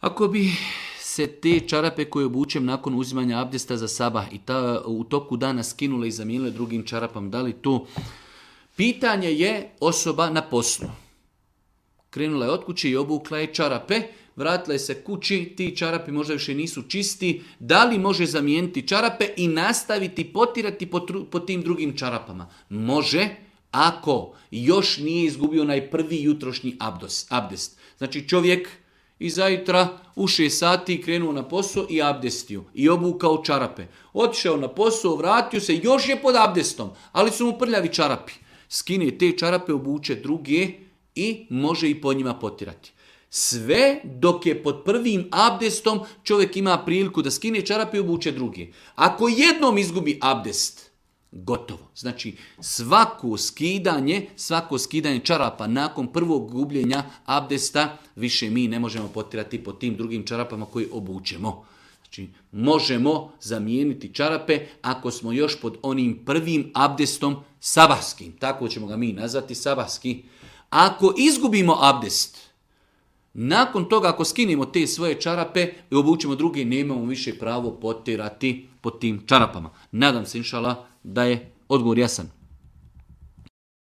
Ako bi se te čarape koje obučem nakon uzimanja abdesta za sabah i u toku dana skinule i zamijenile drugim čarapama, da li to? Pitanje je osoba na poslu. Krenula je od kuće i obukla je čarape, vratila je se kući, ti čarapi možda više nisu čisti, da li može zamijeniti čarape i nastaviti potirati po tim drugim čarapama? Može, ako još nije izgubio onaj prvi jutrošnji abdest. Znači čovjek iza jutra u 6 sati krenuo na posao i abdestio i obukao čarape. Otišao na posao, vratio se, još je pod abdestom, ali su mu prljavi čarapi. Skine te čarape, obuče druge i može i po njima potirati. Sve dok je pod prvim abdestom čovjek ima priliku da skine čarape i obuče druge. Ako jednom izgubi abdest, gotovo. Znači svako skidanje čarapa nakon prvog gubljenja abdesta više mi ne možemo potirati po tim drugim čarapama koje obučemo. Znači možemo zamijeniti čarape ako smo još pod onim prvim abdestom sabahskim. Tako ćemo ga mi nazvati, sabahski. Ako izgubimo abdest, nakon toga ako skinemo te svoje čarape i obučemo druge, nemamo više pravo potirati po tim čarapama. Nadam se, inšala, da je odgovor jasan.